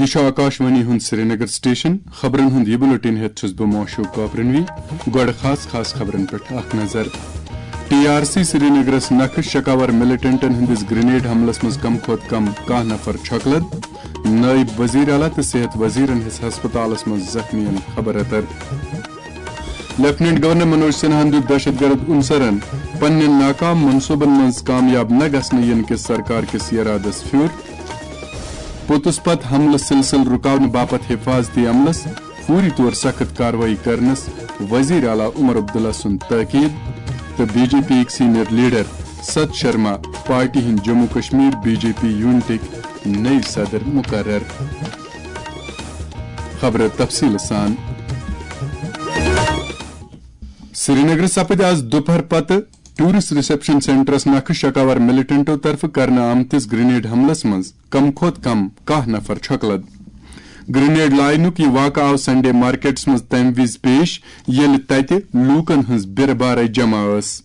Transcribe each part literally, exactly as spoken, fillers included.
یہِ چھُ آکاشوانی ہُنٛد سرینگر سٹیشن۔ خبرن ہُنٛد یہِ بُلٹن ہٮ۪تھ چھُس بہٕ معشوق کاپرنوی۔ گۄڈٕ خاص خاص خبرن پٮ۪ٹھ اکھ نظر۔ ٹی آر سی سرینگرس نکھٕ شکاور ملیٹنٹن ہٕنٛدِس گرینیڈ حملس منٛز کم کھۄتہٕ کم کاہ نفر چھۄکلد۔ نٲیِب وزیر اعلیٰ تہٕ صحت وزیرن ہیٚژ ہسپتالس منٛز زخمیَن خبر اتر۔ لیفٹیننٹ گورنر منوج سنہاہن دیُت دہشت گرد عنصرن پننٮ۪ن ناکام منصوبن منٛز کامیاب نہ گژھنہٕ ینہٕ کِس سرکار کِس ارادس پھیُر۔ پوٚتُس پتہٕ حملہٕ سلسلہٕ رُکاونہٕ باپتھ حفاظتی عملس فوری طور سخت کاروٲیی کرنس وزیر اعلیٰ عمر عبداللہ سُنٛد تاکید۔ تہٕ بی جے پی یِکۍ senior leader Sat Sharma party ہٕنٛدۍ Jammu Kashmir B J P یونٹٕکۍ نٔوۍ صدر مقرر۔ خبرٕ تفصیٖل سان۔ سرینگرٕ سپٕدۍ آز دُپہر پتہٕ ٹورسٹ ریسپشن سینٹرس نکھٕ شکاور ملیٹنٹو طرفہٕ کرنہٕ آمتِس گرینیڈ حملس منٛز کم کھۄتہٕ کم کاہ نفر چھۄکلد۔ گرینیڈ لاینُک یہِ واقعہٕ آو سنڈے مارکیٹس منٛز تمہِ وِزِ پیش، ییٚلہِ تتہِ لوٗکن ہٕنٛز بیرٕ بارے جمع ٲس۔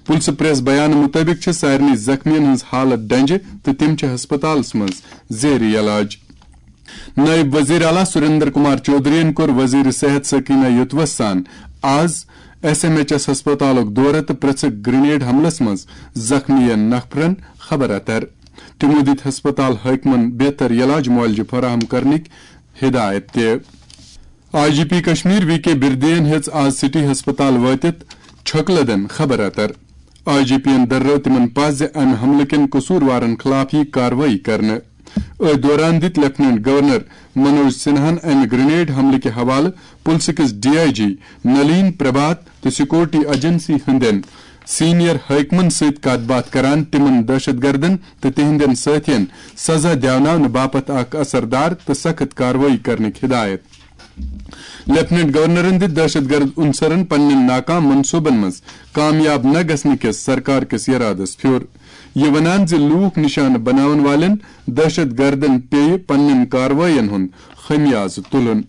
پُلسہٕ پریس بیانہٕ مُطٲبِق چھِ سارنٕے زخمیَن ہٕنٛز حالت ڈنجہِ تہٕ تِم چھِ ہسپتالَس منٛز زیر علاج۔ نٲیِب وزیر اعلیٰ سُریندر کمار چودھرین کوٚر وزیر صحت سکینہ یوتوس سان آز ایس ایم ایچ ایس ہسپتالُک دورٕ تہٕ پرٛژھٕکھ گرینیڈ حملس منٛز زخمیَن نفرَن خبر اتر۔ تِمَو دِتۍ ہسپتال حٲکمَن بہتر علاج معالجہٕ فراہم کرنٕکۍ ہدایت تہِ۔ I G P Kashmir V K بردین ہیٚژ آز سٹی ہسپتال وٲتِتھ چھۄکلدن خبر اتر۔ آئی جی پی یَن دررٲو تِمَن پَژھ زِ اَمہِ حملہٕ کٮ۪ن قصوٗروارَن خلاف یِیہِ کاروٲیی کرنہٕ۔ أتھۍ دوران دِتۍ لیفٹیننٹ گورنر منوج سنہاہَن اَمہِ گرینیڈ حملہٕ کہِ حوالہٕ پُلسہٕ کِس ڈی آئی جی نلین پربھات تہٕ سیکورٹی ایجنسی ہٕنٛدٮ۪ن سینئر حٲکمَن سۭتۍ کتھ باتھ کران تِمَن دہشت گردن تہٕ تِہنٛدٮ۪ن سٲتھین سزا دِیاوناونہٕ باپتھ اکھ اثردار تہٕ سخت کاروٲیی کرنٕکۍ ہدایت۔ لیفٹیننٹ گورنرن دِتۍ دہشت گرد عنصرن پننٮ۪ن ناکام منصوبن منٛز کامیاب نہ گژھنہٕ کِس سرکار کِس ارادس پھیُر۔ یہِ ونان زِ لوٗکھ نشانہٕ بناون والٮ۪ن دہشت گردن پیٚیہِ پننٮ۪ن کاروٲیین ہُنٛد خمیازٕ تُلُن۔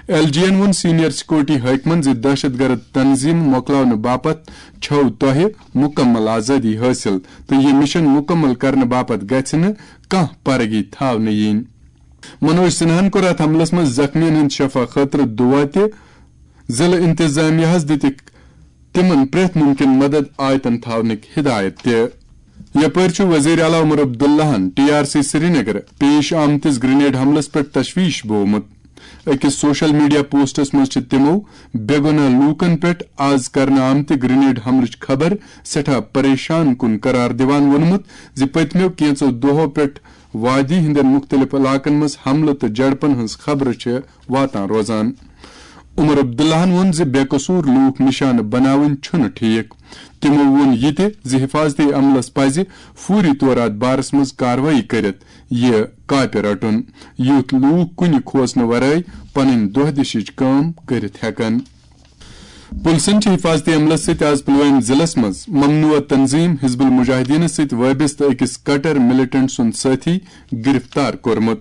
ایل جی یَن ووٚن سینئر سیکورٹی حٲکمَن زِ دہشت گرد تنظیٖم مۄکلاونہٕ باپتھ چھَو تۄہہِ مُکمل آزٲدی حٲصِل تہٕ یہِ مِشن مُکمل کرنہٕ باپتھ گژھِ نہٕ کانٛہہ پرگی تھاونہٕ یِنۍ۔ منوج سنہاہن کوٚر اتھ حملس منٛز زخمیَن ہٕنٛدِ شفا خٲطرٕ دُعا تہِ۔ ضلعہٕ انتظامیہ ہَس دِتِکھ تِمَن پرٛٮ۪تھ مُمکِن مدد آیتن تھاونٕکۍ ہدایت تہِ۔ یپٲرۍ چھُ وزیر اعلیٰ عمر عبداللہَن ٹی آر سی سرینگر پیش آمتِس گرینیڈ حملس پٮ۪ٹھ تشویش بوومُت۔ أکِس سوشل میڈیا پوسٹس منٛز چھِ تِمَو بے گۄناہ لوٗکَن پٮ۪ٹھ آز کرنہٕ آمتہِ گرینیڈ حملٕچ خبر سٮ۪ٹھاہ پریشان کُن قرار دِوان ووٚنمُت زِ پٔتمیو کینٛژو دۄہو پٮ۪ٹھ وادی ہٕنٛدٮ۪ن مُختٔلِف علاقن منٛز حملہٕ تہٕ جھڑپن ہٕنٛز خبرٕ چھِ واتان روزان۔ عمر عبداللہَن ووٚن زِ بے قصوٗر لوٗکھ نشانہٕ بناوٕنۍ چھُنہٕ ٹھیک۔ تِمَو ووٚن یہِ تہِ زِ حفاظتی عملس پزِ فوری طور اتھ بارس منٛز کاروٲیی کٔرِتھ یہِ کاپہِ رٹُن، یُتھ لوٗکھ کُنہِ کھوژنہٕ ورٲے پنٕنۍ دۄہ دِشٕچ کٲم کٔرِتھ ہٮ۪کن۔ پُلسن چھِ حفاظتی عملس سۭتۍ آز پلوامہِ ضلعس منٛز ممنوع تنظیم حزب المجاہدینس سۭتۍ وٲبستہٕ أکِس کٹر ملیٹنٹ سُنٛد سٲتھی گرفتار کوٚرمُت۔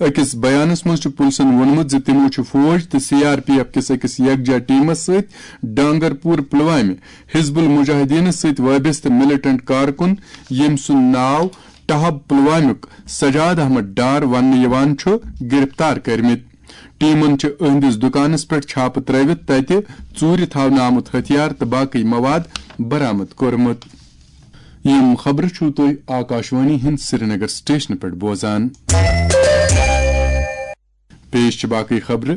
أکِس بیانس منٛز چھُ پُلسن ووٚنمُت زِ تِمو چھُ فوج تہٕ سی آر پی ایف کِس أکِس یکجا ٹیمس سۭتۍ ڈانگرپور پلوامہِ حزب المجاہدینس سۭتۍ وٲبستہٕ ملیٹنٹ کارکُن، ییٚمۍ سُنٛد ناو ٹہب پلوامیُک سجاد احمد ڈار وننہٕ یِوان چھُ، گرفتار کٔرمٕتۍ۔ ٹیمن چھِ أہنٛدِس دُکانس پٮ۪ٹھ چھاپہٕ ترٲوِتھ تتہِ ژوٗرِ تھاونہٕ آمُت ہتھیار تہٕ باقٕے مواد برآمد کوٚرمُت۔ یِم خبرٕ چھِو تُہۍ آکاشوانی ہٕنٛدِ سرینگر سٹیشنہٕ پٮ۪ٹھ بوزان۔ پیش چھِ باقٕے خبرٕ۔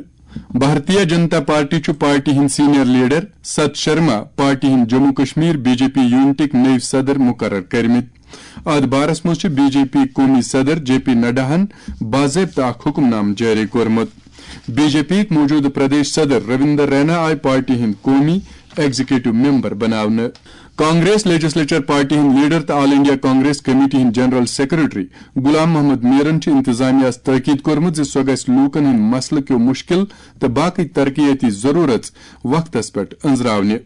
بھارتیہ جنتا پارٹی چھُ پارٹی ہٕنٛدۍ senior leader Sat Sharma party ہٕنٛدۍ Jammu Kashmir B J P یونٹٕکۍ نٔوۍ صدر مقرر کٔرمٕتۍ۔ اتھ بارس منٛز چھُ بی جے پی قومی صدر جے پی نڈاہن باضٲبطہٕ اکھ حکم نامہٕ جٲری کوٚرمُت۔ بی جے پی یِکۍ موجودٕ پردیش صدر رویندر رینا آیہِ پارٹی ہٕنٛدۍ قومی ایگزیکٹو ممبر بناونہٕ۔ کانگریس لیجسلیچر پارٹی ہٕنٛدۍ لیڈر تہٕ آل انڈیا کانگریس کمیٹی ہٕنٛدۍ جنرل سیکرٹری غلام محمد میرن چھُ انتظامیہ ہَس تٲکید کوٚرمُت زِ سۄ گژھِ لوٗکن ہٕنٛدۍ مسلہٕ کیو مُشکِل تہٕ باقٕے ترقیتی ضروٗرژ وقتس پٮ۪ٹھ أنٛزراونہِ۔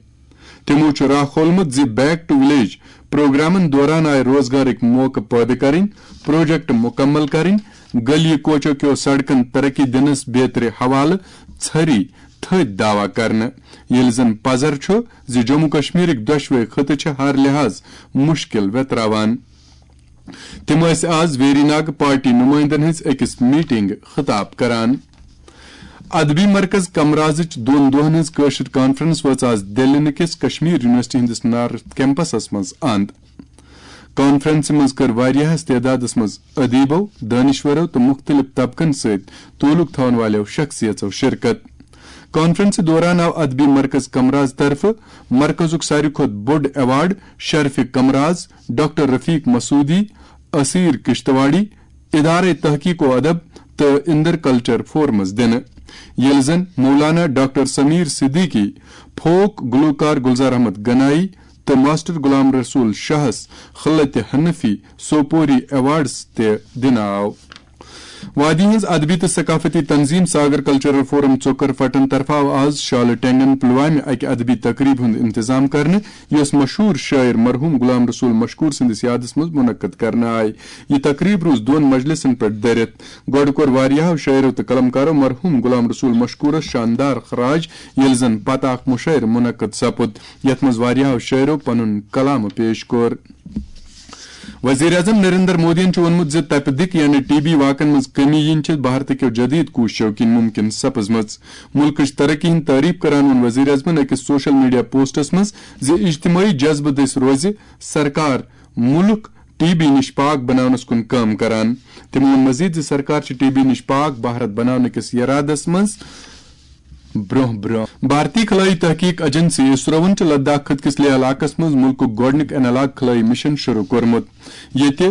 تِمَو چھُ راہ کھولمُت زِ بیک ٹو ولیج پروگرامن دوران آیہِ روزگارٕکۍ موقعہٕ پٲدٕ کرٕنۍ، پروجیکٹ مُکمل کرٕنۍ، گلی کوچو کیو سڑکن ترقی دِنس بیترِ حوالہٕ ژھٔری تھٔدۍ دعویٰ کرنہٕ، ییٚلہِ زن پزر چھُ زِ جموں کشمیرٕکۍ دۄشوے خطہٕ چھِ ہر لحاظ مُشکِل ویتراوان۔ تِم ٲسۍ آز ویری ناگ پارٹی نُمٲیندَن ہٕنٛز أکِس میٹنگ خطاب کران۔ ادبی مرکز کمرازٕچ دۄن دۄہن ہٕنٛز کٲشِر کانفرنس وٲژ آز دِلہِ کِس کشمیر یونیورسٹی ہٕنٛدِس نارتھ کیمپسس منٛز اند۔ کانفرنسہِ منٛز کٔر واریاہس تعدادس منٛز ادیبو، دٲنِشورو تہٕ مُختٔلِف طبقن سۭتۍ تعلق تھاون والٮ۪و شخصیژو شرکت۔ کانفرنسہِ دوران آو ادبی مرکز کمراز طرفہٕ مرکزُک ساروی کھۄتہٕ بوٚڑ ایوارڈ شرفِ کمراز ڈاکٹر رفیق مسعودی، اسیر کشتواڑی، ادارے تحقیق و ادب تہٕ اندر کلچر فورمس دِنہٕ، ییٚلہِ زن مولانا ڈاکٹر سمیر صدیقی، فوک گلوکار گلزار احمد گنایی تہٕ ماسٹر غلام رسول شاہس خلت حنفی سوپوری ایوارڈز تہِ دِنہٕ آو۔ وادی ہٕنٛز ادبی تہٕ ثقافتی تنظیم ساگر کلچرل فورم ژوکر فٹن طرفہٕ آو آز شالہٕ ٹینگن پلوامہِ اکہِ ادبی تقریبہِ ہُنٛد انتظام کرنہٕ، یۄس مشہوٗر شٲعر مرحوم غلام رسول مشکور سٕنٛدِس یادس منٛز منعقد کرنہٕ آیہِ۔ یہِ تقریب روٗز دۄن مجلسن پٮ۪ٹھ دٔرِتھ۔ گۄڈٕ کوٚر واریاہو شٲعرو تہٕ قلمکارو مرحوم غلام رسول مشکورس شاندار خراج، ییٚلہِ زن پتہٕ اکھ مشٲعرٕ منعقد سپُد، یتھ منٛز واریاہو شٲعرو پنُن کلام پیش کوٚر۔ وزیر اعظم نریندر مودیَن چھُ ووٚنمُت زِ تپہِ دِق یعنی ٹی بی واقعن منٛز کمی یِنۍ چھِ بھارتٕکیو جدید کوٗششو کِنۍ مُمکِن سپٕزمٕژ۔ مُلکٕچ ترقی ہٕنٛز تعریف کران ووٚن وزیر اعظمَن أکِس سوشل میڈیا پوسٹس منٛز زِ اجتمٲعی جذبہٕ دٔسۍ روزِ سرکار مُلک ٹی بی نِش پاک بناونس کُن کٲم کران۔ تٔمۍ ووٚن مزید زِ سرکار چھِ ٹی بی نِش پاک بھارت بناونہٕ کِس یرادس منٛز برونٛہہ برونٛہہ۔ بھارتی خلٲیی تحقیق ایجنسی اسروَن چھُ لداخ خٕطہٕ کِس لیہ علاقس منٛز مُلکُک گۄڈٕنیُک اینالاگ خلٲیی مشن شروع کوٚرمُت، ییٚتہِ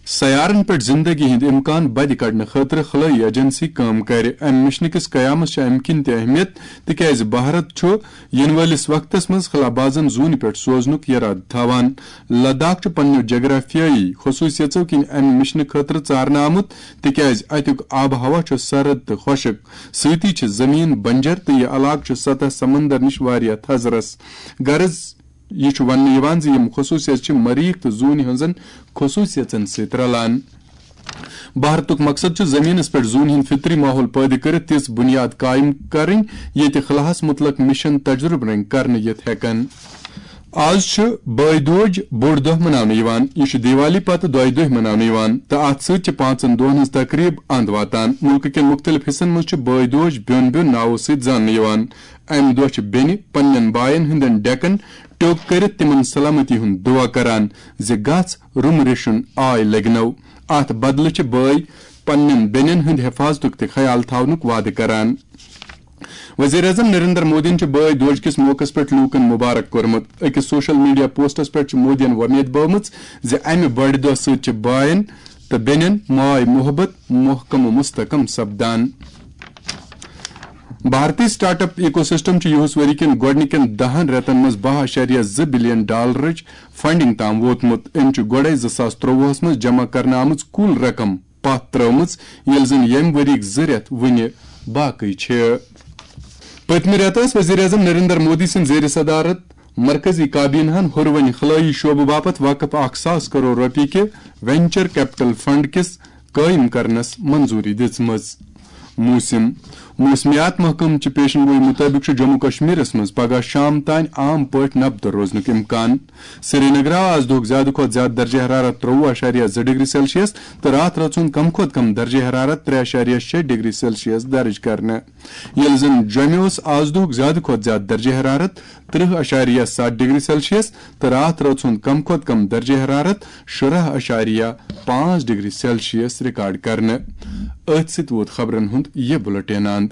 سیارن پٮ۪ٹھ زندگی ہٕنٛدۍ امکان بدِ کڑنہٕ خٲطرٕ خلٲیی ایجنسی کٲم کرِ۔ امہِ مشنہٕ کِس قیامس چھِ امہِ کِنۍ تہِ اہمیت، تِکیازِ بھارت چھُ یِنہٕ وٲلِس وقتس منٛز خلا بازن زوٗنہِ پٮ۪ٹھ سوزنُک یرادٕ تھاوان۔ لداخ چھُ پننیو جغرافیٲیی خصوٗصیژو کِنۍ امہِ مشنہٕ خٲطرٕ ژارنہٕ آمُت، تِکیازِ اتیُک آب و ہوا چھُ سرد تہٕ خۄشک، سۭتی چھِ زمین بنجر تہٕ یہِ علاقہٕ چھُ سطح سمندر نِش واریاہ تھزرس۔ غرض، یہِ چھُ وننہٕ یِوان زِ یِم خصوٗصیت چھِ مریخ تہٕ زوٗنہِ ہٕنٛزن خصوٗصیژن سۭتۍ رلان۔ بھارتُک مقصد چھُ زمینس پٮ۪ٹھ زوٗنہِ ہُنٛد فطری ماحول پٲدٕ کٔرِتھ تِژھ بُنیاد قائم کرٕنۍ، ییٚتہِ خلاہس مُتعلق مشن تجربہٕ رنگ کرنہٕ یِتھ ہٮ۪کن۔ آز چھُ بٲے دوج بوٚڑ دۄہ مناونہٕ یِوان۔ یہِ چھُ دیوالی پتہٕ دۄیہِ دۄہہِ مناونہٕ یِوان تہٕ اتھ سۭتۍ چھِ پانٛژن دۄہن ہٕنٛز تقریب اند واتان۔ مُلکہٕ کٮ۪ن مُختٔلِف حصن منٛز چھِ بٲے دوج بیوٚن بیوٚن ناوو سۭتۍ زاننہٕ یِوان۔ امہِ دۄہ چھِ بیٚنہِ پننٮ۪ن باین ہٕنٛدٮ۪ن ڈیکن ٹیوٚک کٔرِتھ تِمن سلامتی ہُنٛد دُعا کران زِ گژھ رُم ریشُن آے لگنو۔ اتھ بدلہٕ چھِ بٲے پننٮ۪ن بیٚنٮ۪ن ہٕنٛدِ حفاظتُک تہِ خیال تھاونُک وعدٕ کران۔ وزیر اعظم نریندر مودیَن چھُ بٲے دوج کِس موقعس پٮ۪ٹھ لوٗکَن مبارک کوٚرمُت۔ أکِس سوشل میڈیا پوسٹَس پٮ۪ٹھ چھُ مودیَن وۄمید بٲومٕژ زِ اَمہِ بٔڑِ دۄہ سۭتۍ چھِ بایَن تہٕ بیٚنٮ۪ن ماے محبت محکم و مستحکم سپدان۔ بھارتی سٹارٹ اپ ایکو سسٹم چھُ یِہُس ؤری کٮ۪ن گۄڈٕنِکٮ۪ن دَہَن رٮ۪تَن منٛز باہ اعشاریہ زٕ بلین ڈالرٕچ فنڈنگ تام ووتمُت۔ أمۍ چھُ گۄڈَے زٕ ساس ترٛۆوُہَس منٛز جمع کرنہٕ آمٕژ کُل رقم پتھ ترٲومٕژ، ییٚلہِ زَن ییٚمہِ ؤریِک زٕ رٮ۪تھ وُنہِ باقٕے چھِ۔ پٔتمہِ رٮ۪تہٕ ٲس وزیر اعظم نریندر مودی سٕنٛدِ زیر صدارت مرکزی کابینہَن ہُروٕنۍ خلٲیی شعبہٕ باپتھ وقف اکھ ساس کرور رۄپیہِ کہِ وینچر کیپٹل فنڈ کِس قٲیِم کرنس منظوٗری دِژمٕژ۔ موسم۔ موسمیات محکمہٕ چہِ پیشن گویی مُطٲبِق چھُ جموں کشمیرس منٛز پگہہ شام تام عام پٲٹھۍ نبدٕ روزنُک امکان۔ سرینگر آو آز دۄہُک زیادٕ کھۄتہٕ زیادٕ درجہ حرارت ترٛۆوُہ اعشاریہ زٕ ڈگری سیلسیس تہٕ راتھ رٲژ ہُنٛد کم کھۄتہٕ کم درجہ حرارت ترٛےٚ اعشاریہ شےٚ ڈگری سیلسیس درج کرنہٕ۔ ییٚلہِ زن جوٚمہِ اوس آز دۄہُک زیادٕ کھۄتہٕ زیادٕ درجہ حرارت ترٛہ اعشاریہ ستھ ڈگری سیلسیس تہٕ راتھ رٲژ ہُنٛد کم کھۄتہٕ کم درجہ حرارت شُراہ اعشاریہ پانٛژھ ڈگری سیلسیس ریکارڈ کرنہٕ۔ أتھۍ سۭتۍ ووت خبرن ہُنٛد یہِ بُلٹین اند۔